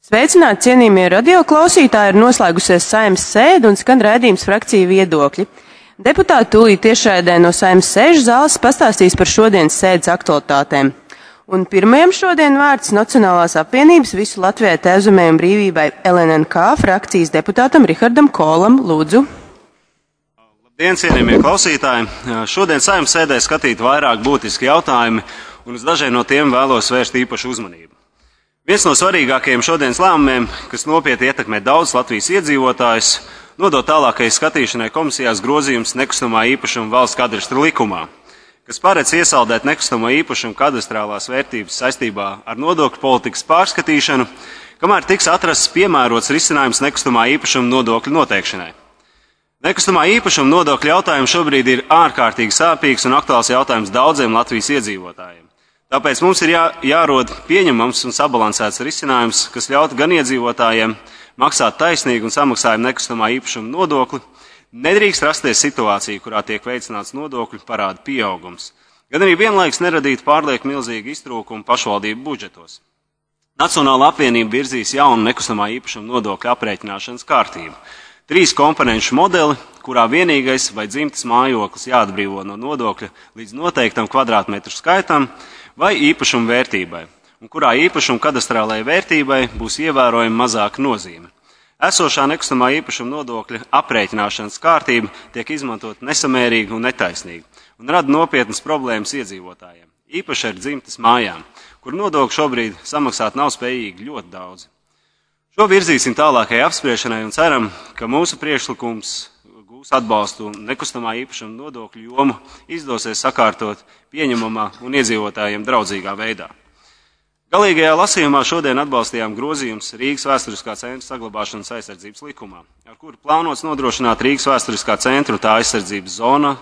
Sveicināti, cienījamie radioklausītāji, ir noslēgusies Saeimas sēde un skan raidījums Frakciju viedokļi. Deputāti tūlīt tiešraidē no Saeimas sēžu zāles pastāstīs par šodienas sēdes aktualitātēm. Un pirmajam šodien vārds Nacionālās apvienības visu Latvijai Tēvzemē un brīvībai LNNK frakcijas deputātam Rihardam Kolam. Lūdzu. Labdien, cienījamie klausītāji! Šodien Saeimas sēdē skatīt vairāk būtiski jautājumi, un uz dažiem no tiem vēlos vērst īpašu uzmanību. Viens no svarīgākajiem šodienas lēmumiem, kas nopietni ietekmē daudz Latvijas iedzīvotājus, nodot tālākajai skatīšanai komisijās grozījums nekustamā īpašuma valsts kadastra likumā, kas paredz iesaldēt nekustamo īpašumu kadastrālās vērtības saistībā ar nodokļu politikas pārskatīšanu, kamēr tiks atrasts piemērots risinājums nekustamā īpašuma nodokļu noteikšanai. Nekustamā īpašuma nodokļu jautājums šobrīd ir ārkārtīgi sāpīgs un aktuāls jautājums daudziem Latvijas iedzīvotājiem. Tāpēc mums ir jārod pieņemams un sabalansēts risinājums, kas ļautu gan iedzīvotājiem maksāt taisnīgu un samaksājumu nekustamā īpašuma nodokli. Nedrīkst rasties situācija, kurā tiek veicināts nodokļu parādu pieaugums, gan arī vienlaikus neradīt pārlieku milzīgu iztrūkumu pašvaldību budžetos. Nacionāla apvienība virzīs jaunu nekustamā īpašuma nodokļu aprēķināšanas kārtību. 3 komponenšu modeli, kurā vienīgais vai dzimtas mājoklis jāatbrīvo no nodokļa līdz noteiktam kvadrātmetru skaitam vai īpašuma vērtībai, un kurā īpašuma kadastrālajai vērtībai būs ievērojami mazāka nozīme. Esošā nekustamā īpašuma nodokļa aprēķināšanas kārtība tiek izmantot nesamērīgi un netaisnīgi, un rada nopietnas problēmas iedzīvotājiem, īpaši ar dzimtas mājām, kur nodokļu šobrīd samaksāt nav spējīgi ļoti daudz. Šo virzīsim tālākajai apspriešanai un ceram, ka mūsu priekšlikums gūs atbalstu un nekustamā īpašuma nodokļu jomu izdosies sakārtot pieņemamā un iedzīvotājiem draudzīgā veidā. Galīgajā lasījumā šodien atbalstījām grozījums Rīgas vēsturiskā centra saglabāšanas aizsardzības likumā, ar kuru plānots nodrošināt Rīgas vēsturiskā centra un tā aizsardzības zona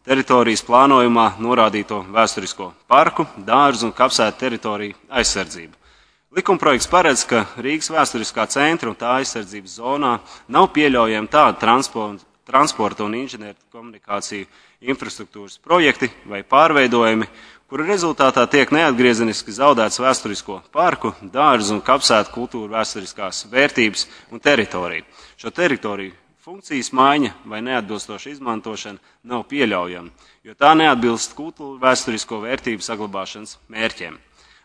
teritorijas plānojumā norādīto vēsturisko parku, dārzu un kapsētu teritoriju aizsardzību. Likumprojekts paredz, ka Rīgas vēsturiskā centra un tā aizsardzības zonā nav pieļaujami tādi transporta un inženieru komunikāciju infrastruktūras projekti vai pārveidojumi, kuru rezultātā tiek neatgriezeniski zaudēts vēsturisko parku, dārzu un kapsētu kultūra vēsturiskās vērtības un teritoriju. Šo teritoriju funkcijas maiņa vai neatbilstoša izmantošana nav pieļaujama, jo tā neatbilst kultūra vēsturisko vērtību saglabāšanas mērķiem.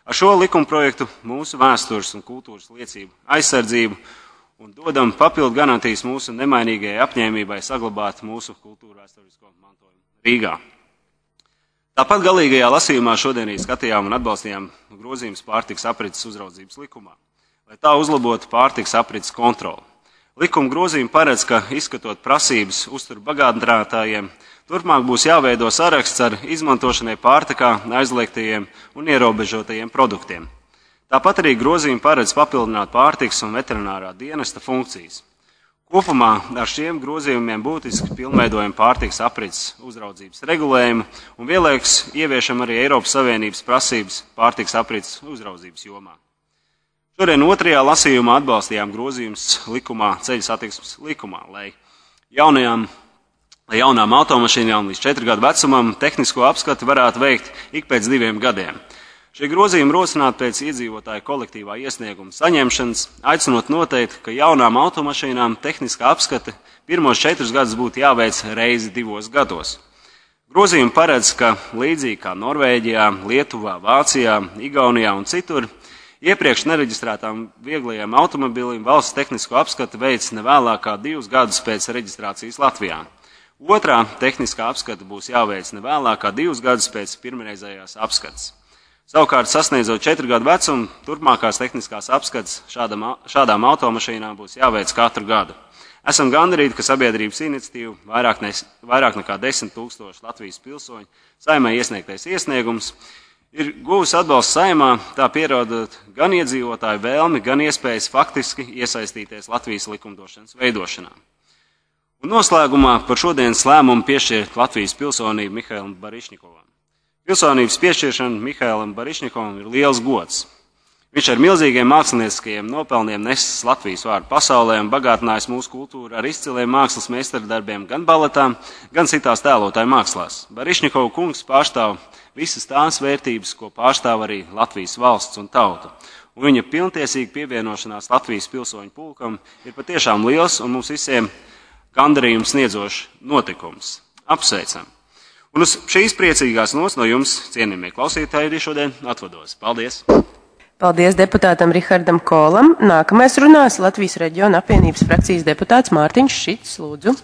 Ar šo likumprojektu mūsu vēstures un kultūras liecību aizsardzību un dodam papildu garantijas mūsu nemainīgajai apņēmībai saglabāt mūsu kultūra vēsturisko mantojumu Rīgā. Tāpat galīgajā lasījumā šodien arī skatījām un atbalstījām grozījumus pārtikas aprits uzraudzības likumā, lai tā uzlabotu pārtikas aprits kontroli. Likuma grozījumi paredz, ka izskatot prasības uzturu bagātinātājiem, turpmāk būs jāveido saraksts ar izmantošanai pārtikā aizliegtajiem un ierobežotajiem produktiem. Tāpat arī grozījumi paredz papildināt pārtikas un veterinārā dienesta funkcijas. Kopumā ar šiem grozījumiem būtiski pilnveidojam pārtikas aprits uzraudzības regulējumu un vienlaikus ieviešam arī Eiropas Savienības prasības pārtikas aprits uzraudzības jomā. Šodien otrajā lasījumā atbalstījām grozījumus likumā, ceļu satiksmes likumā, lai jaunām automašīnām līdz 4 gadu vecumam tehnisko apskati varētu veikt ik pēc 2 gadiem. Šie grozījumi rosināti pēc iedzīvotāju kolektīvā iesnieguma saņemšanas, aicinot noteikt, ka jaunām automašīnām tehniskā apskate pirmos 4 gadus būtu jāveic reizi 2 gados. Grozījumi paredz, ka līdzīgi kā Norvēģijā, Lietuvā, Vācijā, Igaunijā un citur, iepriekš nereģistrētām vieglajiem automobiļiem valsts tehnisko apskati veic ne vēlāk kā 2 gadus pēc reģistrācijas Latvijā. Otrā tehniskā apskata būs jāveic ne vēlāk kā 2 gadus pēc pirmreizējās apskates. Savukārt, sasniedzot 4 gadu vecumu, turpmākās tehniskās apskates šādām automašīnām būs jāveic katru gadu. Esam gandarīti, ka sabiedrības iniciatīva vairāk nekā 10 000 Latvijas pilsoņu Saeimai iesniegtais iesniegums ir guvusi atbalstu Saeimā, tā pierādot gan iedzīvotāju vēlmi, gan iespējas faktiski iesaistīties Latvijas likumdošanas veidošanā. Un noslēgumā par šodienas lēmumu piešķirt Latvijas pilsonību Mihailam Barišņikovam. Pilsonības piešķiršana Mihailam Barišņikovam ir liels gods. Viņš ar milzīgiem mākslinieckajiem nopelniem nesis Latvijas vārdu pasaulē un bagātinājis mūsu kultūru ar izciliem mākslas meistardarbiem gan baletām, gan citās tēlotāju mākslās. Barišņikova kungs pārstāv visas tās vērtības, ko pārstāv arī Latvijas valsts un tauta. un viņa pilntiesīga pievienošanās Latvijas pilsoņu pulkam ir patiešām liels un mums visiem gandarījums sniedzošs notikums. Apsveicam! Un uz šīs priecīgās nots no jums, cienījamie klausītāji, arī šodien atvados. Paldies! Paldies deputātam Rihardam Kolam. Nākamais runās Latvijas reģiona apvienības frakcijas deputāts Mārtiņš Šits. Lūdzu.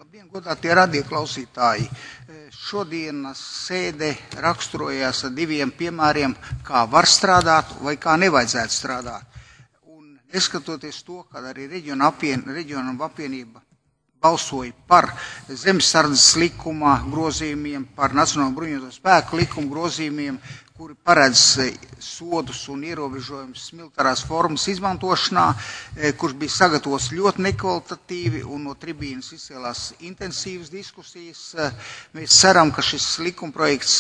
Labdien, godātie radioklausītāji! Šodienas sēde raksturojās ar diviem piemēriem, kā var strādāt vai kā nevajadzētu strādāt. Un neskatoties to, ka arī reģiona apvienība balsoja par zemesardzes likuma grozījumiem, par Nacionālo bruņoto spēku likuma grozījumiem, kuri paredz sodus un ierobežojumus militārās formas izmantošanā, kurš bija sagatavots ļoti nekvalitatīvi un no tribīnas izcēlās intensīvas diskusijas. Mēs ceram, ka šis likumprojekts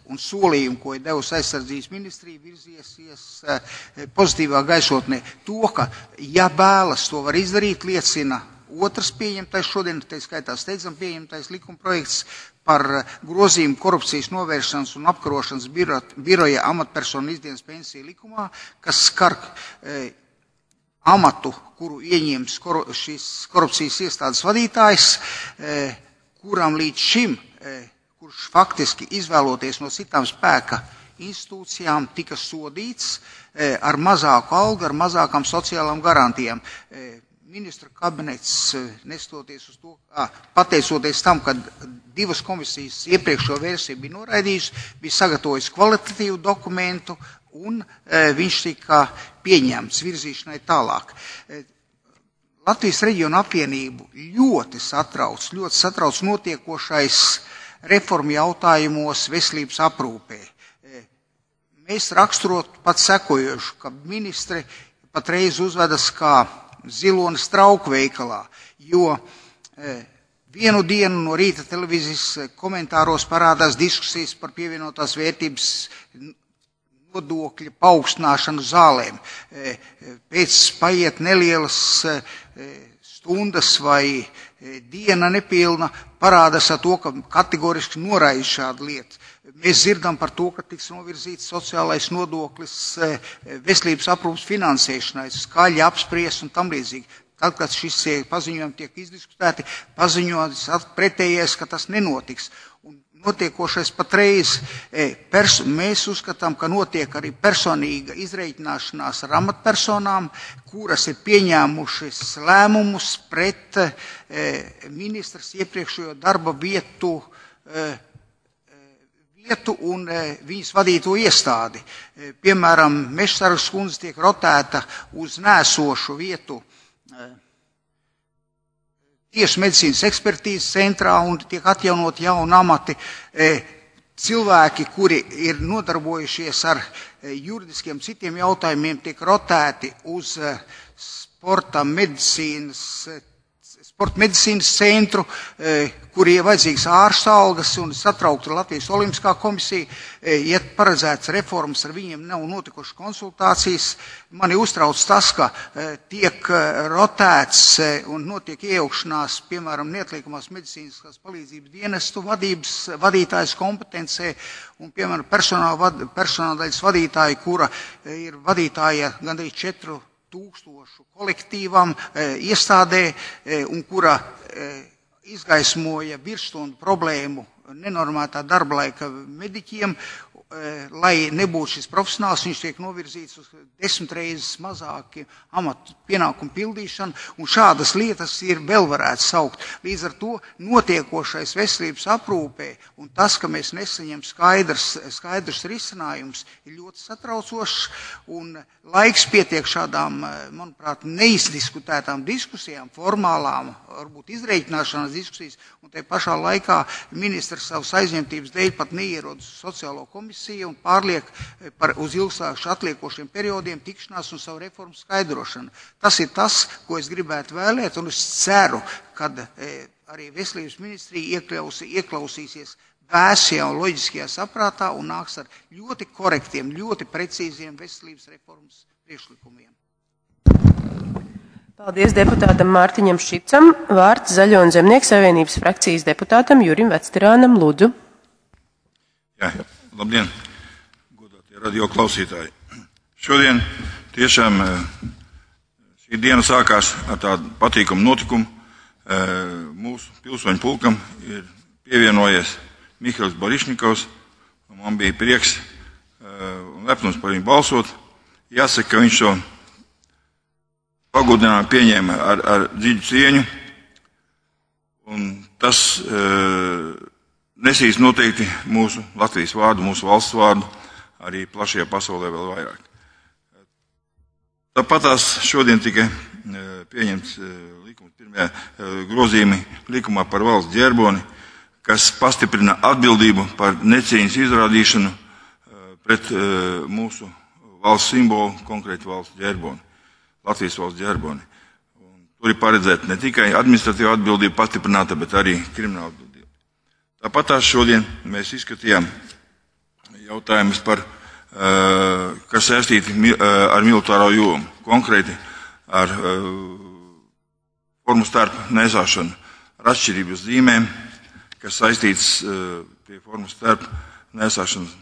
un solījumi, ko ir devusi aizsardzības ministrija, virziesies pozitīvā gaisotnē. To, ka ja vēlas to var izdarīt, liecina otrs pieņemtais šodien, tā skaitā steidzam pieņemtais likumprojekts par grozījumu korupcijas novēršanas un apkarošanas biroja amatpersonu izdienas pensiju likumā, kas skar amatu, kuru ieņems šīs korupcijas iestādes vadītājs, kuram līdz šim, kurš faktiski izvēloties no citām spēka institūcijām, tika sodīts ar mazāku algu, ar mazākām sociālām garantijām. Ministra kabinets, nestoties uz to, pateicoties tam, ka divas komisijas iepriekšo versiju bija noraidījusi, bija sagatavojis kvalitatīvu dokumentu un viņš tika pieņemts virzīšanai tālāk. Latvijas reģiona apvienību ļoti satrauc notiekošais reformu jautājumos veselības aprūpē. Mēs raksturot pat sekojošu, ka ministri patreiz uzvedas kā zilonis trauku veikalā, jo vienu dienu no rīta televīzijas komentāros parādās diskusijas par pievienotās vērtības nodokļa paaugstināšanu zālēm. Pēc paiet nelielas stundas vai diena nepilna, parādās ar to, ka kategoriski noraida šādu lietu. Mēs dzirdam par to, ka tiks novirzīts sociālais nodoklis veselības aprūpas finansēšanai, skaļi apspriest un tam līdzīgi. Tad, kad šis paziņojumi tiek izdiskutēti, paziņots pretējais, ka tas nenotiks. Un notiekošais patreiz, mēs uzskatām, ka notiek arī personīga izreikināšanās ar amatpersonām, kuras ir pieņēmušas lēmumus pret ministras iepriekšējo darba vietu un viņas vadīto iestādi. Piemēram, Mežsargas kundze tiek rotēta uz nēsošu vietu tieši medicīnas ekspertīzes centrā un tiek atjaunot jauni amati. Cilvēki, kuri ir nodarbojušies ar juridiskiem citiem jautājumiem, tiek rotēti uz sporta medicīnas centru, kur ir vajadzīgs ārsta algas un satraukta Latvijas Olimpiskā komisija. Ja paredzēts reformas, ar viņiem nav notikušas konsultācijas. Mani uztrauc tas, ka tiek rotēts un notiek iejaukšanās, piemēram, neatliekamās medicīniskās palīdzības dienestu vadītājas kompetencē un, piemēram, personāldaļas vadītāja, kura ir vadītāja gandrīz 4000 kolektīvam, iestādē, un kura izgaismoja virsstundu problēmu nenormētā darba laika mediķiem, lai nebūtu šis profesionāls, viņš tiek novirzīts uz 10 reizes mazāki amatu pienākumu pildīšanu, un šādas lietas ir vēl varētu saukt. Līdz ar to notiekošais veselības aprūpē un tas, ka mēs nesaņem skaidrs risinājums, ir ļoti satraucošs, un laiks pietiek šādām, manuprāt, neizdiskutētām diskusijām, formālām, varbūt izreikināšanās diskusijas, un te pašā laikā ministrs savas aizņemtības dēļ pat neierod uz sociālo komisiju un pārliek uz ilgstoši atliekošiem periodiem tikšanās un savu reformu skaidrošanu. Tas ir tas, ko es gribētu vēlēt, un es ceru, kad arī veselības ministrija ieklausīsies vēsajā un loģiskajā saprātā un nāks ar ļoti korektiem, ļoti precīziem veselības reformas priekšlikumiem. Paldies deputātam Mārtiņam Šicam. Vārds Zaļo un Zemnieku savienības frakcijas deputātam Jurim Vecterānam. Lūdzu. Jā. Labdien, godātie radio klausītāji. Šodien tiešām šī diena sākās ar tādu patīkamu notikumu. Mūsu pilsoņu pulkam ir pievienojies Mihails Borišņikovs. Man bija prieks un lepnums par viņu balsot. Jāsaka, ka viņš šo pagodinājumu pieņēma ar dziļu cieņu. Un tas nesīs noteikti mūsu Latvijas vārdu, mūsu valsts vārdu, arī plašajā pasaulē vēl vairāk. Tāpatās šodien tika pieņemts pirmie grozījumi likumā par valsts ģerboni, kas pastiprina atbildību par necieņas izrādīšanu pret mūsu valsts simbolu, konkrēti valsts ģerboni, Latvijas valsts ģerboni. Tur ir paredzēta ne tikai administratīva atbildība pastiprināta, bet arī krimināla atbildība. Tāpatās šodien mēs izskatījām jautājumus par kas saistīti ar militāro jomu, konkrēti ar formu starpu nesāšanu, ar atšķirības zīmēm, kas saistīts pie formu starpu nesāšanas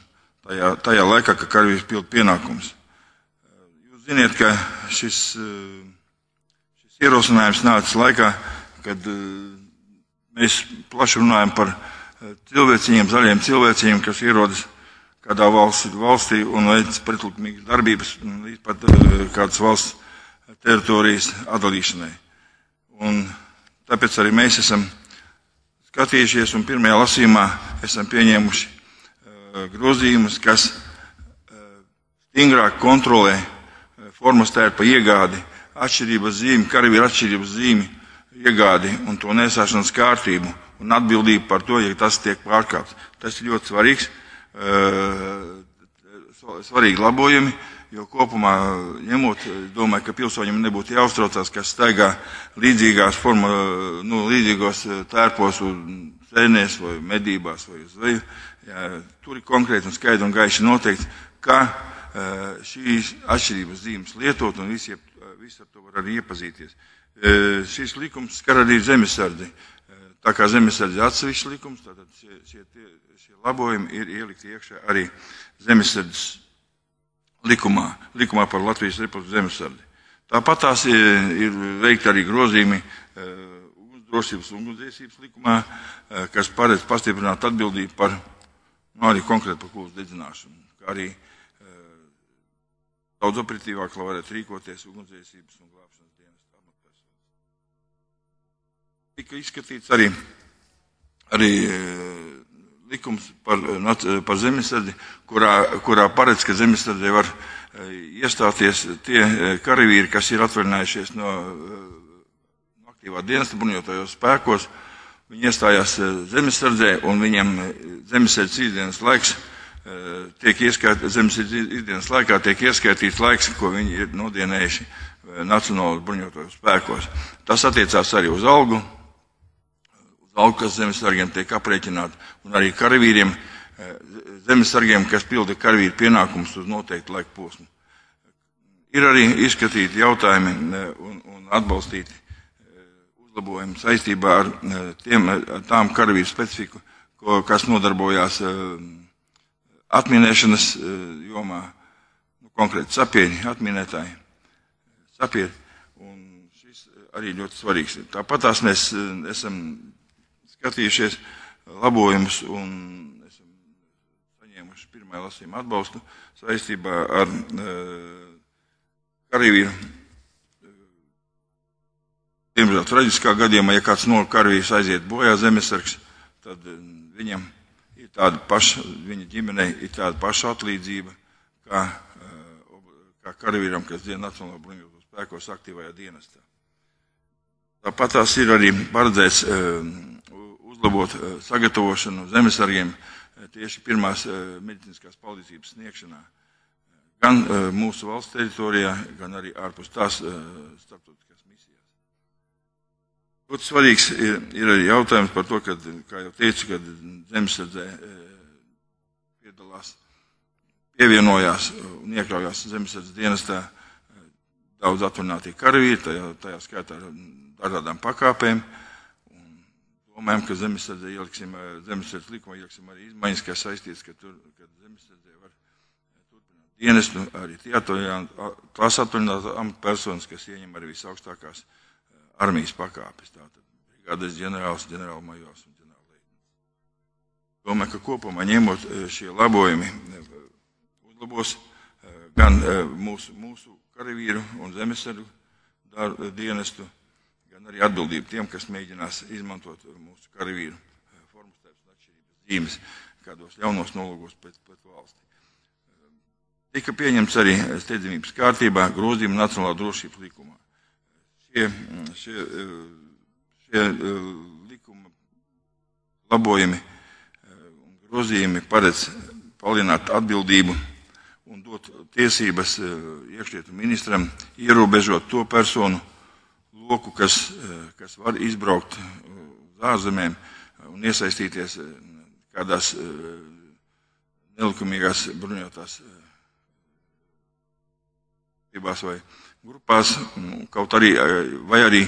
tajā laikā, kad karavīrs pilda pienākumus. Jūs ziniet, ka šis ierosinājums nācis laikā, kad mēs plaši runājam par cilvēciņiem, zaļiem cilvēciņiem, kas ierodas kādā valstī un veic pretlikumīgas darbības līdz pat kādas valsts teritorijas atdalīšanai. Un tāpēc arī mēs esam skatījušies un pirmajā lasījumā esam pieņēmuši grozījumus, kas stingrāk kontrolē formas tērpa iegādi, atšķirības zīmi, karavīra atšķirības zīmi iegādi un to nesāšanas kārtību un atbildību par to, ja tas tiek pārkāpts. Tas ir ļoti svarīgi labojumi, jo kopumā ņemot, domāju, ka pilsoņiem nebūtu jāuztraucās, kas staigā līdzīgos tērpos un sēnēs vai medībās vai uz zveju. Tur ir konkrēti un skaidri un gaiši noteikts, ka šīs atšķirības zīmes lietot un visi ar to var arī iepazīties. Šis likums skar arī zemesardzi. Tā kā zemesardze atsevišķs likums, tātad šie labojumi ir ielikti iekšā arī zemesardzes likumā par Latvijas Republikas zemesardzi. Tāpat tās ir veikti arī grozījumi drošības un ugunsdzēsības likumā, kas paredz pastiprināt atbildību par, arī konkrēti par kultas dedzināšanu, kā arī daudz operatīvāk, lai varētu rīkoties ugunsdzēsības un glābšanas dienesta amatpersonas. Tika izskatīts arī likums par zemesardzi, kurā paredz, ka zemesardzē var iestāties tie karavīri, kas ir atvaļinājušies no aktīvā dienesta bruņotajos spēkos. Viņi iestājās zemesardzē un viņam zemesardzes ikdienas laiks ikdienas laikā tiek ieskaitīts laiks, ko viņi ir nodienējuši Nacionālajos bruņotajos spēkos. Tas attiecās arī uz algu, kas zemesargiem tiek aprēķināti, un arī karavīriem, zemesargiem, kas pilda karavīru pienākumus uz noteiktu laiku posmu. Ir arī izskatīti jautājumi un atbalstīti uzlabojumi saistībā ar tām karavīru specifiku, kas nodarbojās atminēšanas jomā, konkrēti sapieri, atminētāji, sapieri, un šis arī ļoti svarīgs. Tāpat tās mēs esam skatījušies labojumus un esam saņēmuši pirmā lasījuma atbalstu saistībā ar karavīru. Diemžēl traģiskā gadījumā, ja kāds no karavīrs aiziet bojā zemesargs, tad viņam ir tāda paša, viņa ģimenei ir tāda paša atlīdzība, kā karavīram, kas dien Nacionālajos bruņotajos spēkos aktīvajā dienestā. Tāpat tās ir arī paredzēts uzlabot sagatavošanu zemesargiem tieši pirmās medicīniskās palīdzības sniegšanā, gan mūsu valsts teritorijā, gan arī ārpus tās starptautiskās misijās. Ļoti svarīgs ir arī jautājums par to, kad, kā jau teicu, kad zemesardzē pievienojās un iekļaujās zemesardzes dienestā daudz atvaļinātie karavīri, tajā skaitā ar dažādām pakāpēm. Domājam, ka zemesardzes likumā ieliksim arī izmaiņas, kas saistīts, ka zemesardzē var turpināt dienestu, arī tās atvaļinās amatpersonas, kas ieņem arī visaugstākās armijas pakāpes. Tātad brigādes ģenerāls, ģenerālmajors un ģenerālleitnants. Domāju, ka kopumā ņemot šie labojumi uzlabos gan mūsu karavīru un zemesargu dienestu, gan arī atbildību tiem, kas mēģinās izmantot mūsu karavīru formustēpes un atšķirības zīmes kādos ļaunos nolūgos pret valsti. Tika pieņemts arī steidzamības kārtībā grozījumi Nacionālā drošības likumā. Šie likuma labojumi un grozījumi paredz palielināt atbildību un dot tiesības iekšlietu ministram ierobežot to personu loku, kas var izbraukt uz ārzemēm un iesaistīties kādās nelikumīgās bruņotās vai grupās, kaut arī, vai arī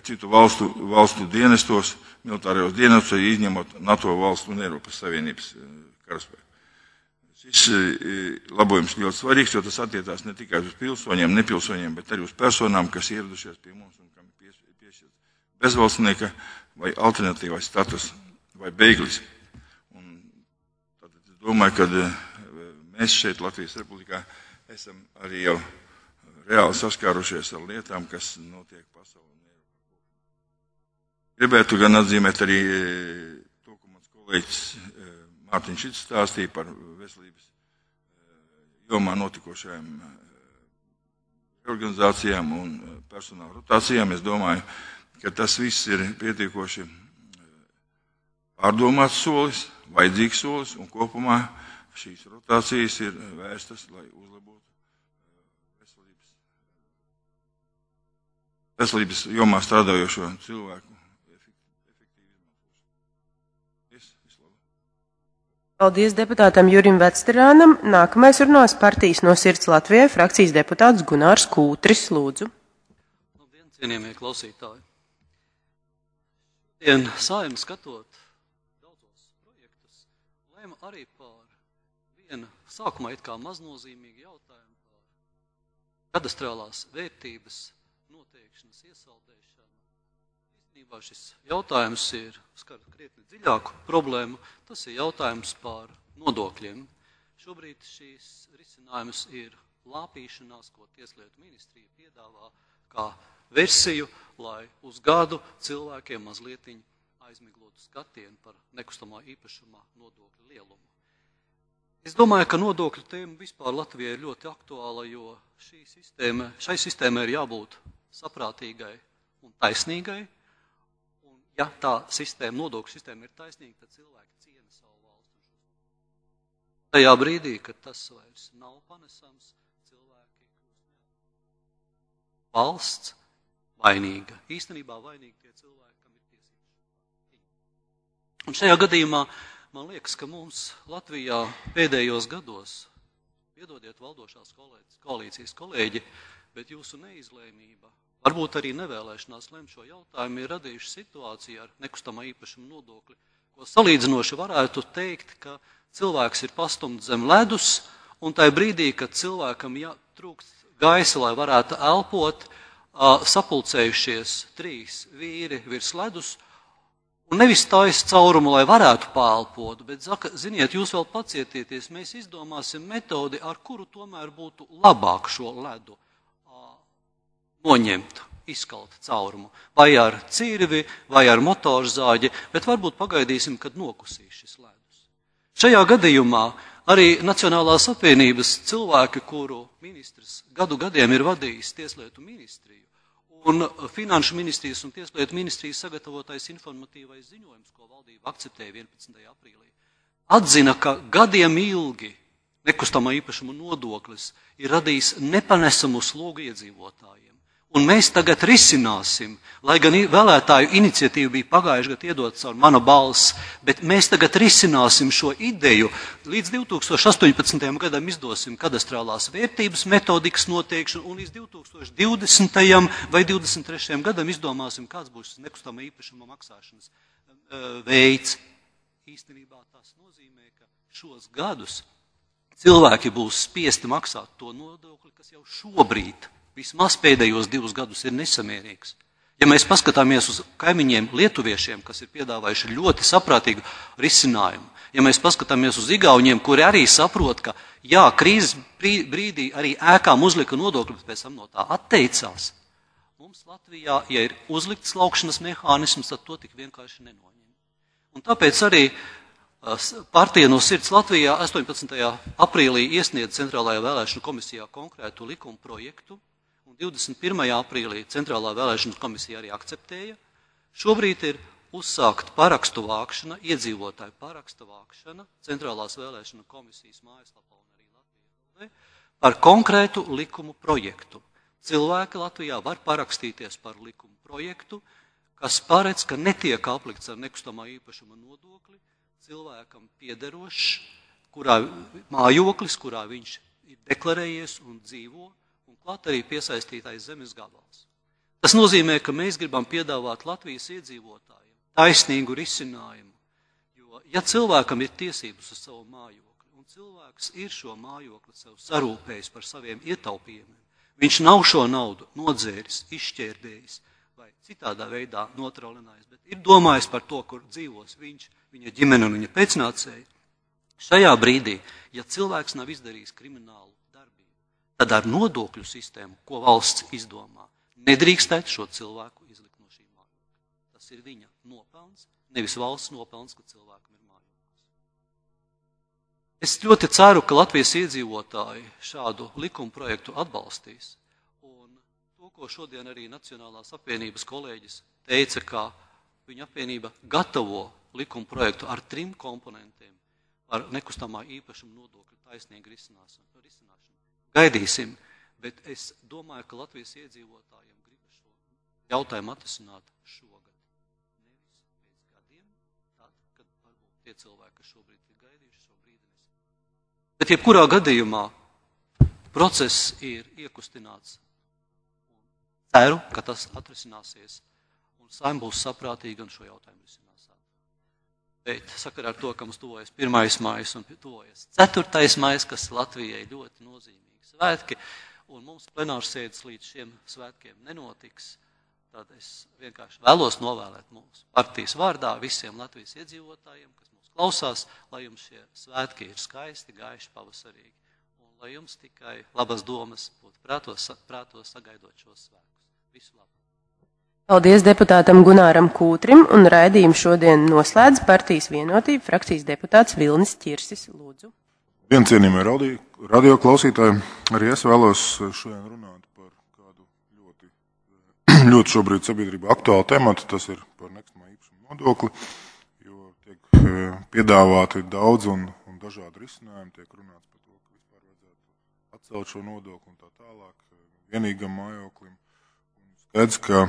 citu valstu dienestos, militārajos dienestos, izņemot NATO valstu un Eiropas Savienības karaspēku. Šis labojums ļoti svarīgs, jo tas attiecās ne tikai uz pilsoņiem, nepilsoņiem, bet arī uz personām, kas ieradušies pie mums un kam ir piešķirts bezvalstnieka vai alternatīvais status vai bēglis. Un tātad es domāju, ka mēs šeit Latvijas Republikā esam arī jau reāli saskārušies ar lietām, kas notiek pasaulē un Eiropā. Gribētu gan atzīmēt arī to, ko mans kolēģis Mārtiņš Šits stāstīja par veselības jomā notikošajām organizācijām un personāla rotācijām. Es domāju, ka tas viss ir pietiekoši pārdomāts solis, vajadzīgs solis, un kopumā šīs rotācijas ir vērstas, lai uzlabotu veselības jomā strādājošo cilvēku efektīvi izmantošanu. Paldies deputātam Jurim Vecterānam. Nākamais runās partijas No sirds Latvijai frakcijas deputāts Gunārs Kūtris. Lūdzu. Labdien, cienījamie klausītāji. Šodien Saeima skatot daudzos projektus, lēma arī par vienu sākumā it kā maznozīmīgu jautājumu par kadastrālās vērtības noteikšanas iesaldēšanu. Īstenībā šis jautājums skar krietni dziļāku problēmu. Tas ir jautājums par nodokļiem. Šobrīd šīs risinājums ir lāpīšanās, ko Tieslietu ministrija piedāvā kā versiju, lai uz gadu cilvēkiem mazlietiņ aizmiglotu skatienu par nekustamā īpašumā nodokļu lielumu. Es domāju, ka nodokļu tēma vispār Latvijai ir ļoti aktuāla, jo šai sistēmai ir jābūt saprātīgai un taisnīgai. Un, ja tā nodokļu sistēma ir taisnīga, tad cilvēki ciena savu valstu. Tajā brīdī, kad tas vairs nav panesams, cilvēki valsts vainīga. Īstenībā vainīgi tie cilvēki, kam ir tiesības. Un šajā gadījumā man liekas, ka mums Latvijā pēdējos gados, piedodiet valdošās koalīcijas kolēģi, bet jūsu neizlēmība, varbūt arī nevēlēšanās lemt šo jautājumu, ir radījuši situāciju ar nekustamā īpašuma nodokli, ko salīdzinoši varētu teikt, ka cilvēks ir pastumts zem ledus, un tajā brīdī, kad cilvēkam trūkst gaisa, lai varētu elpot, sapulcējušies 3 vīri virs ledus, un nevis taisa caurumu, lai varētu pāelpot, bet, ziniet, jūs vēl pacietieties, mēs izdomāsim metodi, ar kuru tomēr būtu labāk šo ledu noņemt, izkalt caurumu, vai ar cirvi, vai ar motorzāģi, bet varbūt pagaidīsim, kad nokusīs šis ledus. Šajā gadījumā arī Nacionālās apvienības cilvēki, kuru ministrs gadiem ir vadījis Tieslietu ministriju, un Finanšu ministrijas un Tieslietu ministrijas sagatavotais informatīvais ziņojums, ko valdība akceptēja 11. aprīlī, atzina, ka gadiem ilgi nekustamā īpašuma nodoklis ir radījis nepanesamu slogu iedzīvotājiem. Un mēs tagad risināsim, lai gan vēlētāju iniciatīva bija pagājuši gadu iedot caur Mana balss, bet mēs tagad risināsim šo ideju. Līdz 2018. gadam izdosim kadastrālās vērtības metodikas noteikšanu, un līdz 2020. vai 2023. gadam izdomāsim, kāds būs nekustamā īpašuma maksāšanas veids. Īstenībā tas nozīmē, ka šos gadus cilvēki būs spiesti maksāt to nodokli, kas jau šobrīd, vismaz pēdējos 2 gadus, ir nesamērīgs. Ja mēs paskatāmies uz kaimiņiem lietuviešiem, kas ir piedāvājuši ļoti saprātīgu risinājumu, ja mēs paskatāmies uz igauņiem, kuri arī saprot, ka jā, krīzes brīdī arī ēkām uzlika nodokļu, bet pēc tam no tā atteicās, mums Latvijā, ja ir uzlikts laukšanas mehānisms, tad to tik vienkārši nenoņem. Un tāpēc arī partija No sirds Latvijā 18. aprīlī iesniedz Centrālajā vēlēšanu komisijā konkrētu likuma projektu, un 21. aprīlī Centrālā vēlēšanu komisija arī akceptēja. Šobrīd ir uzsākt parakstu vākšana, iedzīvotāju parakstu vākšana Centrālās vēlēšanu komisijas mājaslapā un arī Latvijā par konkrētu likumu projektu. Cilvēki Latvijā var parakstīties par likumu projektu, kas paredz, ka netiek aplikts ar nekustamā īpašuma nodokli cilvēkam piederošs, mājoklis, kurā viņš ir deklarējies un dzīvo, un klāt arī piesaistītais zemes gabals. Tas nozīmē, ka mēs gribam piedāvāt Latvijas iedzīvotājiem taisnīgu risinājumu, jo ja cilvēkam ir tiesības uz savu mājokli, un cilvēks ir šo mājokli sev sarūpējis par saviem ietaupījumiem, viņš nav šo naudu nodzēris, izšķērdējis vai citādā veidā notralinājis, bet ir domājis par to, kur dzīvos viņš, viņa ģimene un viņa pēcnācēji. Šajā brīdī, ja cilvēks nav izdarījis kriminālu darbību, tad ar nodokļu sistēmu, ko valsts izdomā, nedrīkstētu šo cilvēku izlikt no šī mājokļa. Tas ir viņa nopelns, nevis valsts nopelns, ka cilvēkam ir mājoklis. Es ļoti ceru, ka Latvijas iedzīvotāji šādu likuma projektu atbalstīs. Un to, ko šodien arī Nacionālās apvienības kolēģis teica, ka viņa apvienība gatavo likuma projektu ar 3 komponentiem par nekustamā īpašuma nodokļu taisnīgu risināšanu. Gaidīsim, bet es domāju, ka Latvijas iedzīvotājiem gribas šo jautājumu atrisināt šogad. Nevis pēc gadiem, tad, kad varbūt tie cilvēki, kas šobrīd ir gaidījuši šo brīdi nesaprot. Bet jebkurā gadījumā process ir iekustināts. Ceru, ka tas atrisināsies un Saeima būs saprātīga un šo jautājumu risinās. Bet sakarā ar to, ka mums tuvojas 1. maijs un tuvojas 4. maijs, kas Latvijai ļoti nozīmīgi svētki, un mums plenārsēdes līdz šiem svētkiem nenotiks, tad es vienkārši vēlos novēlēt mūsu partijas vārdā visiem Latvijas iedzīvotājiem, kas mūs klausās, lai jums šie svētki ir skaisti, gaiši, pavasarīgi, un lai jums tikai labas domas būtu prātos sagaidot šos svētkus. Visu labu! Paldies deputātam Gunāram Kūtrim, un raidījumu šodien noslēdz partijas Vienotība frakcijas deputāts Vilnis Ķirsis. Lūdzu. Cienījamie radio klausītāji, arī es vēlos šodien runāt par kādu ļoti šobrīd sabiedrībā aktuālu tematu, tas ir par nekustamā īpašuma nodokli, jo tiek piedāvāti daudz un dažādi risinājumi, tiek runāts par to, ka vispār vajadzētu atcelt šo nodokli un tā tālāk vienīgam mājoklim. Skaidrs, ka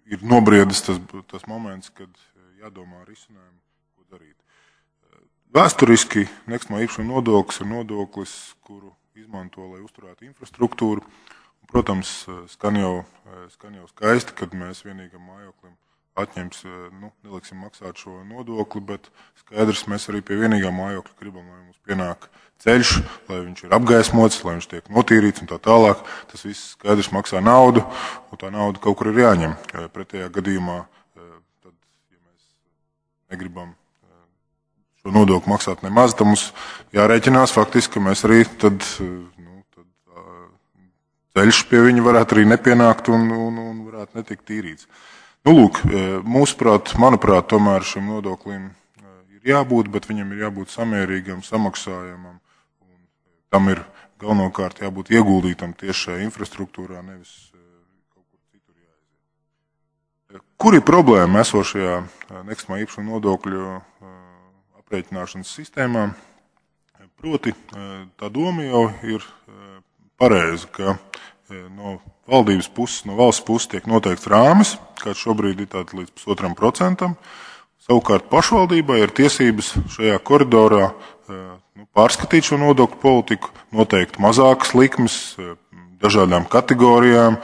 ir nobriedis tas moments, kad jādomā risinājumu, ko darīt. Vēsturiski nekustamā īpašuma nodoklis ir nodoklis, kuru izmanto, lai uzturētu infrastruktūru. Un, protams, skan jau skaisti, kad mēs vienīgam mājoklim atņems, neliksim maksāt šo nodokli, bet skaidrs, mēs arī pie vienīgā mājokļa gribam, lai mums pienāk ceļš, lai viņš ir apgaismots, lai viņš tiek notīrīts un tā tālāk. Tas viss skaidrs maksā naudu, un tā nauda kaut kur ir jāņem. Pretējā gadījumā, tad, ja mēs negribam šo nodokli maksāt nemaz, tad mums jārēķinās faktiski, ka mēs arī tad ceļš pie viņa varētu arī nepienākt un varētu netikt tīrīts. Lūk, manuprāt, tomēr šim nodoklim ir jābūt, bet viņam ir jābūt samērīgam, samaksājamam, un tam ir galvenokārt jābūt ieguldītam tieši šajā infrastruktūrā, nevis kaut kur citur jāaiziet. Kur ir problēma esošajā nekustamā īpašuma nodokļu aprēķināšanas sistēmā? Proti, tā doma jau ir pareiza, ka no valdības puses, no valsts puses tiek noteikts rāmis, kāds šobrīd ir tāds līdz 1,5%. Savukārt pašvaldībai ir tiesības šajā koridorā pārskatīt šo nodokļu politiku, noteikt mazākas likmes dažādām kategorijām,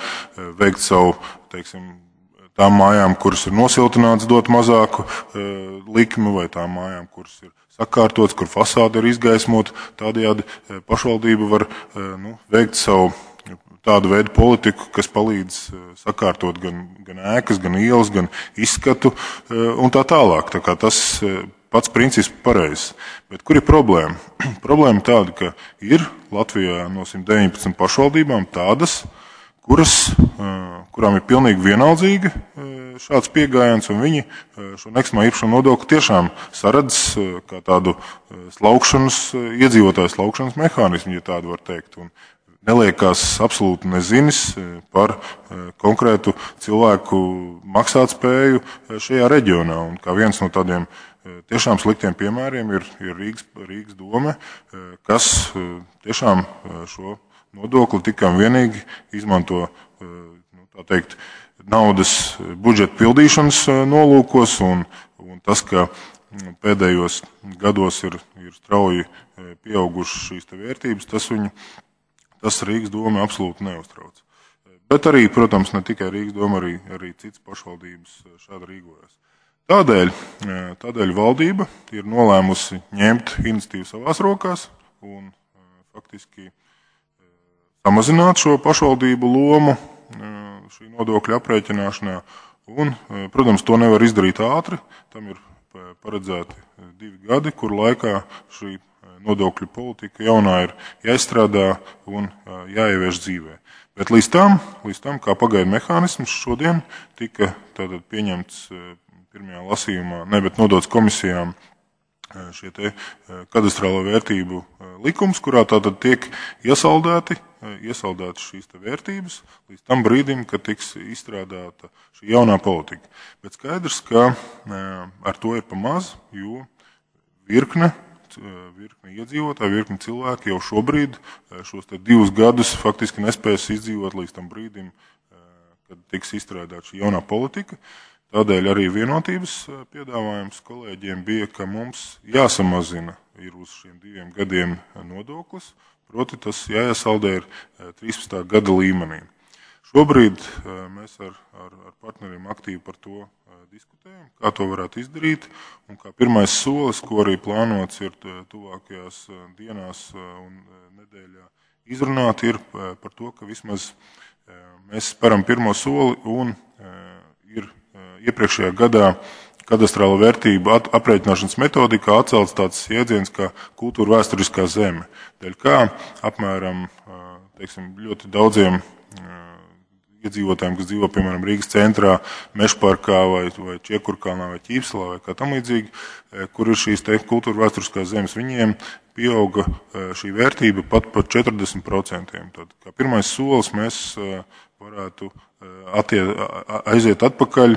veikt savu, tām mājām, kuras ir nosiltināts, dot mazāku likmi, vai tām mājām, kuras ir sakārtots, kur fasāde ir izgaismota. Tādējādi pašvaldība var veikt savu tādu veidu politiku, kas palīdz sakārtot gan ēkas, gan ielas, gan izskatu un tā tālāk. Tā kā tas pats princips pareizs. Bet kur ir problēma? Problēma tāda, ka ir Latvijā no 119 pašvaldībām tādas, kurām ir pilnīgi vienaldzīga šāds pieejams, un viņi šo nekustamā īpašuma nodokli tiešām saredz kā tādu iedzīvotāju slaukšanas mehānismu, ja tādu var teikt. Un neliekās absolūti nezinis par konkrētu cilvēku maksātspēju šajā reģionā. Un kā viens no tādiem tiešām sliktiem piemēriem ir Rīgas dome, kas tiešām šo nodokli tikai un vienīgi izmanto tā teikt, naudas budžeta pildīšanas nolūkos, un tas, ka pēdējos gados ir strauji pieaugušas šīs vērtības, tas Rīgas doma absolūti neuztrauc. Bet arī, protams, ne tikai Rīgas doma, arī citas pašvaldības šādi rīkojas. Tādēļ valdība ir nolēmusi ņemt iniciatīvu savās rokās un faktiski samazināt šo pašvaldību lomu šī nodokļa aprēķināšanā. Un, protams, to nevar izdarīt ātri. Tam ir paredzēti 2 gadi, kur laikā šī nodokļu politika jaunā ir jāizstrādā un jāievieš dzīvē. Bet līdz tam kā pagaidu mehānisms šodien tika tātad pieņemts pirmajā lasījumā, bet nodots komisijām šie te kadastrālo vērtību likums, kurā tātad tiek iesaldētas šīs te vērtības līdz tam brīdim, kad tiks izstrādāta šī jaunā politika. Bet skaidrs, ka ar to ir pa maz, jo virkne iedzīvotāji, virkne cilvēki jau šobrīd šos te 2 gadus faktiski nespēs izdzīvot līdz tam brīdim, kad tiks izstrādāta šī jaunā politika. Tādēļ arī vienotības piedāvājums kolēģiem bija, ka mums jāsamazina ir uz šiem 2 gadiem nodoklis, proti tas jāiesaldē ir 13. gada līmenī. Šobrīd mēs ar partneriem aktīvi par to diskutējam, kā to varētu izdarīt, un kā pirmais solis, ko arī plānots ir tuvākajās dienās un nedēļā izrunāt, ir par to, ka vismaz mēs speram pirmo soli un ir iepriekšējā gadā kadastrāla vērtība aprēķināšanas metodikā atcelts tāds jēdziens kā kultūra vēsturiskā zeme. Dēļ kā apmēram ļoti daudziem iedzīvotājiem, kas dzīvo, piemēram, Rīgas centrā, Mežparkā vai Čiekurkalnā vai Ķīpselā vai kā tam līdzīgi, kur ir šīs kultūra vēsturiskās zemes, viņiem pieauga šī vērtība pat par 40%. Tad, kā pirmais solis mēs varētu aiziet atpakaļ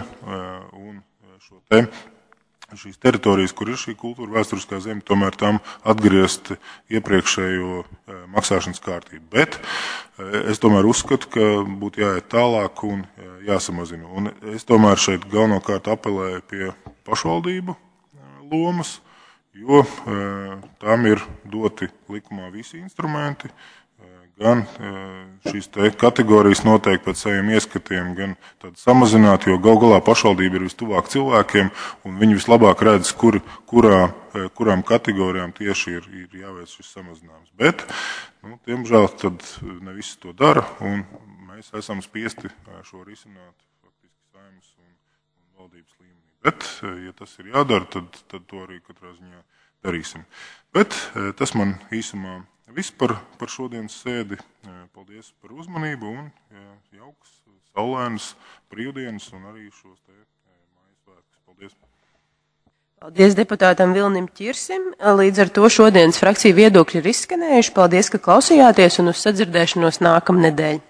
un šīs teritorijas, kur ir šī kultūra vēsturiskā zeme, tomēr tam atgriezt iepriekšējo maksāšanas kārtību. Bet es tomēr uzskatu, ka būtu jāiet tālāk un jāsamazina. Un es tomēr šeit galvenokārt apelēju pie pašvaldību lomas, jo tām ir doti likumā visi instrumenti, gan šīs kategorijas noteikti pēc saviem ieskatiem, gan tad samazināt, jo gal galā pašvaldība ir vistuvāk cilvēkiem, un viņi vislabāk redz, kurām kategorijām tieši ir jāveic šis samazinājums. Bet, diemžēl, tad ne visi to dara, un mēs esam spiesti šo risināt faktiski Saeimas un valdības līmenī. Bet, ja tas ir jādara, tad to arī katrā ziņā darīsim. Bet tas man īsumā viss par šodienas sēdi. Paldies par uzmanību un jauks, saulēnas brīvdienas un arī šos mājas svētkus. Paldies! Paldies deputātam Vilnim Ķirsim. Līdz ar to šodienas frakciju viedokļi ir izskanējuši. Paldies, ka klausījāties un uz sadzirdēšanos nākamnedēļ.